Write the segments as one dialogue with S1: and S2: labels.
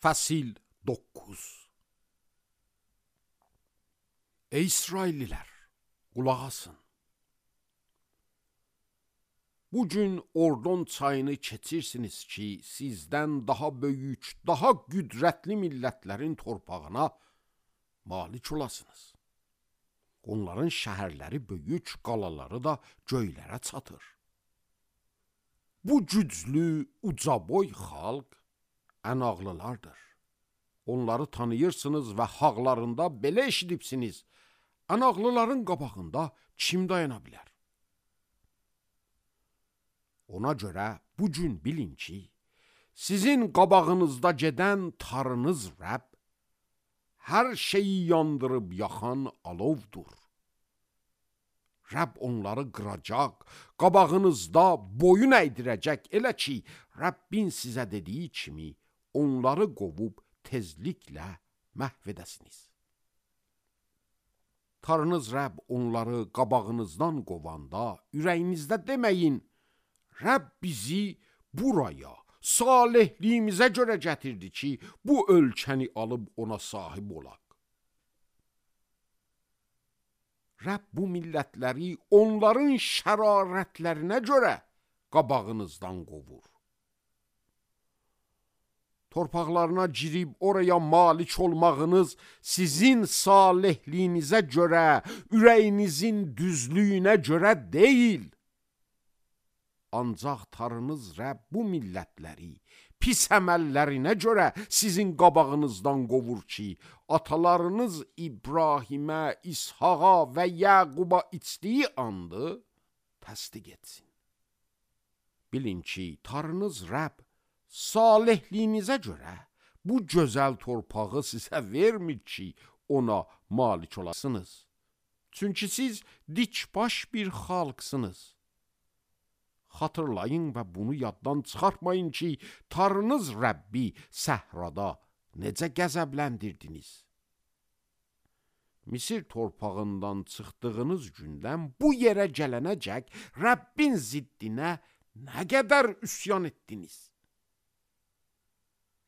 S1: Fəsil 9. Ey İsraillilər, qulaq asın. Bugün Ordon çayını keçirsiniz ki, sizdən daha böyük, daha qüdrətli millətlərin torpağına malik olasınız. Onların şəhərləri böyük, qalaları da göylərə çatır. Bu güclü, ucaboy xalq ən ağlılardır. Onları tanıyırsınız və haqlarında belə eşidibsiniz. Ən ağlıların qabağında kim dayana bilər? Ona görə bugün bilin ki, sizin qabağınızda gedən tarınız Rəbb, hər şeyi yandırıb yaxan alovdur. Rəbb onları qıracaq, qabağınızda boyun əydirəcək, elə ki, Rəbbin sizə dediyi kimi onları qovub tezliklə məhv edəsiniz. Tarınız Rəbb onları qabağınızdan qovanda, ürəyinizdə deməyin, Rəbb bizi buraya, salihliyimizə görə gətirdi ki, bu ölkəni alıb ona sahib olaq. Rəbb bu millətləri onların şərarətlərinə görə qabağınızdan qovur. Torpaqlarına girib oraya malik olmağınız sizin salihliyinizə görə, ürəyinizin düzlüyünə görə deyil. Ancaq tarınız Rəbb bu millətləri pis əməllərinə görə sizin qabağınızdan qovur ki, atalarınız İbrahimə, İshaqa və Yaquba içdiyi andı təsdiq etsin. Bilin ki, tarınız Rəbb salihliyinizə görə bu gözəl torpağı sizə vermir ki, ona malik olasınız. Çünki siz dikbaş bir xalqsınız. Xatırlayın və bunu yaddan çıxartmayın ki, tarınız Rəbbi səhrada necə qəzəbləndirdiniz. Misir torpağından çıxdığınız gündən bu yerə gələnəcək Rəbbin ziddinə nə qədər üsyan etdiniz.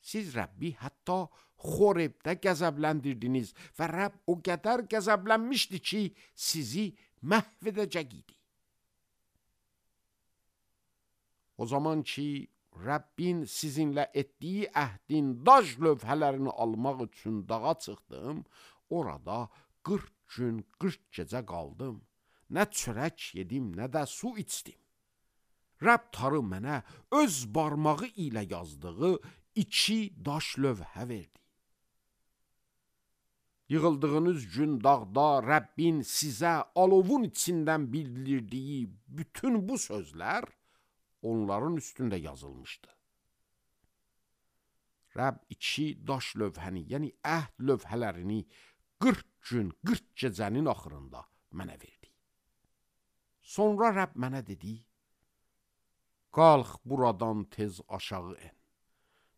S1: Siz Rəbbi hətta Xorebdə qəzəbləndirdiniz və Rəbb o qədər qəzəblənmişdi ki, sizi məhv edəcək idi. O zaman ki, Rəbbin sizinlə etdiyi əhdin daş lövhələrini almaq üçün dağa çıxdım, orada 40 gün, 40 gecə qaldım. Nə çörək yedim, nə də su içdim. Rəbb tarı mənə öz barmağı ilə yazdığı 2 daş lövhə verdi. Yığıldığınız gün dağda Rəbbin sizə alovun içindən bildirdiyi bütün bu sözlər onların üstündə yazılmışdı. Rəbb 2 daş lövhəni, yəni əhd lövhələrini 40 gün, 40 gecənin axırında mənə verdi. Sonra Rəbb mənə dedi, qalx buradan tez aşağı en.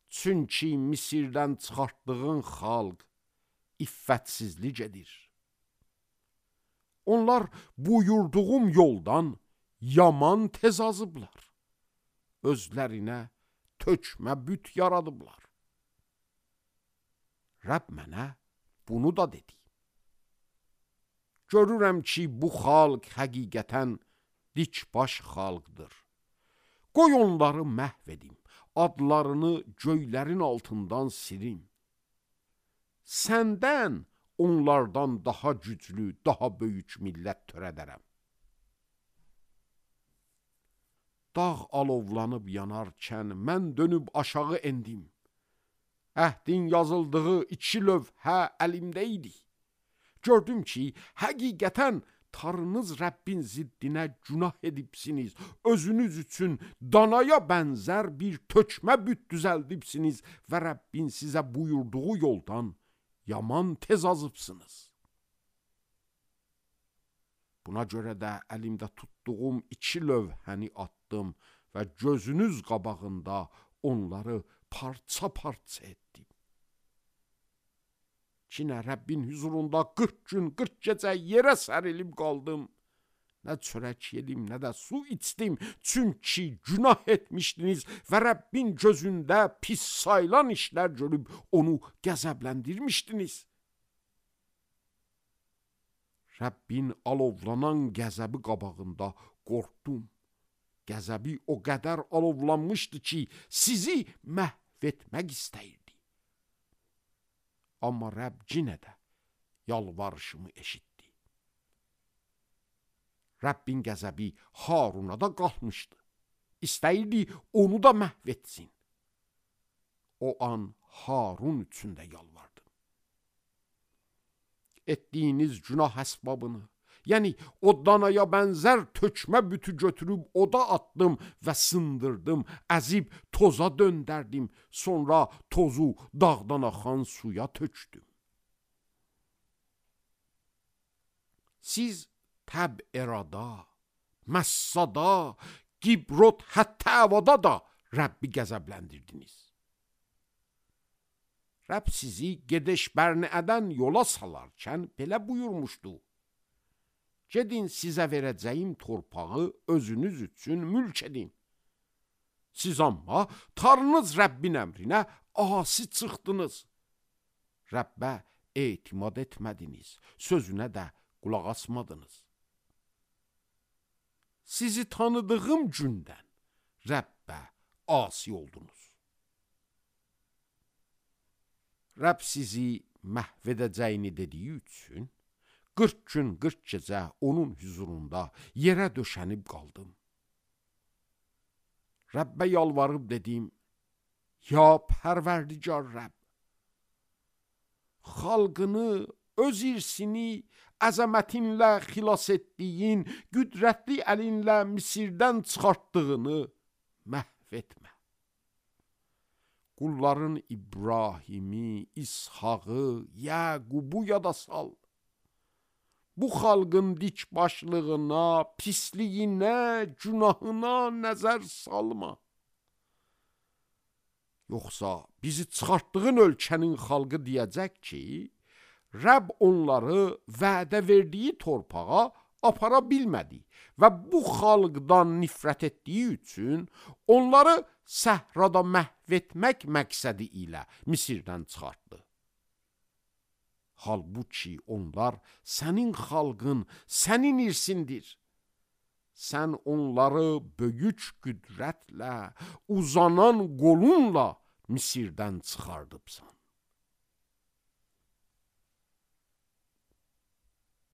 S1: Çünki Misirdən çıxartdığın xalq iffətsizlik edir. Onlar buyurduğum yoldan yaman tez azıblar. Özlərinə tökmə büt yaradıblar. Rəbb mənə bunu da dedi. Görürəm ki, bu xalq həqiqətən dikbaş xalqdır. Qoy onları məhv edim, adlarını göylərin altından silim. Səndən onlardan daha güclü, daha böyük millət törədərəm. Dağ alovlanıb yanarkən mən dönüb aşağı endim. Əhdin yazıldığı 2 lövhə əlimdə idi. Gördüm ki, həqiqətən tarınız Rəbbin ziddinə günah edibsiniz. Özünüz üçün danaya bənzər bir tökmə büt düzəldibsiniz və Rəbbin sizə buyurduğu yoldan yaman tez azıbsınız. Buna görə də əlimdə tutduğum 2 lövhəni atdım və gözünüz qabağında onları parça-parça etdim. Ki nə Rəbbin huzurunda 40 gün, 40 gecə yerə sərilib qaldım, Nə çörək yedim, nə də su içdim, çünki günah etmişdiniz və Rəbbin gözündə pis sayılan işlər görüb onu qəzəbləndirmişdiniz. Rəbbin alovlanan qəzəbi qabağında qorxdum. Qəzəbi o qədər alovlanmışdı ki, sizi məhv etmək istəyirdi. Amma Rəbb yenə də yalvarışımı eşitdi. Rəbbin qəzəbi Haruna da qalxmışdı. İstəyirdi onu da məhv etsin. O an Harun üçün də yalvardım. Etdiyiniz günah əsbabını, yəni o danaya bənzər tökmə bütü götürüb oda atdım və sındırdım, əzib toza döndərdim, sonra tozu dağdan axan suya tökdüm. Siz Təb-Erada, Məssada, Gibrot, Həttəvada da Rəbbi qəzəbləndirdiniz. Rəbb sizi Gedeş Bərniədən yola salarkən belə buyurmuşdu. Gedin sizə verəcəyim torpağı özünüz üçün mülk edin. Siz amma Tanrınız Rəbbin əmrinə asi çıxdınız. Rəbbə etimad etmədiniz, sözünə də qulaq asmadınız. Sizi tanıdığım gündən Rəbbə asi oldunuz. Rəbb sizi məhv edəcəyini dediyi üçün 40 gün 40 gecə onun huzurunda yerə döşənib qaldım. Rəbbə yalvarıb dedim, ya Pərverdigar Rəbb, xalqını, öz irsini əzəmətinlə xilas etdiyin, qüdrətli əlinlə Misirdən çıxartdığını məhv etmə. Qulların İbrahimi, İshağı, Yəqubu yada sal. Bu xalqın dikbaşlığına, pisliyinə, günahına nəzər salma. Yoxsa bizi çıxartdığın ölkənin xalqı deyəcək ki, Rəbb onları vədə verdiyi torpağa apara bilmədi və bu xalqdan nifrət etdiyi üçün onları səhrada məhv etmək məqsədi ilə Misirdən çıxartdı. Halbuki onlar sənin xalqın, sənin irsindir. Sən onları böyük qüdrətlə, uzanan qolunla Misirdən çıxardıbsan.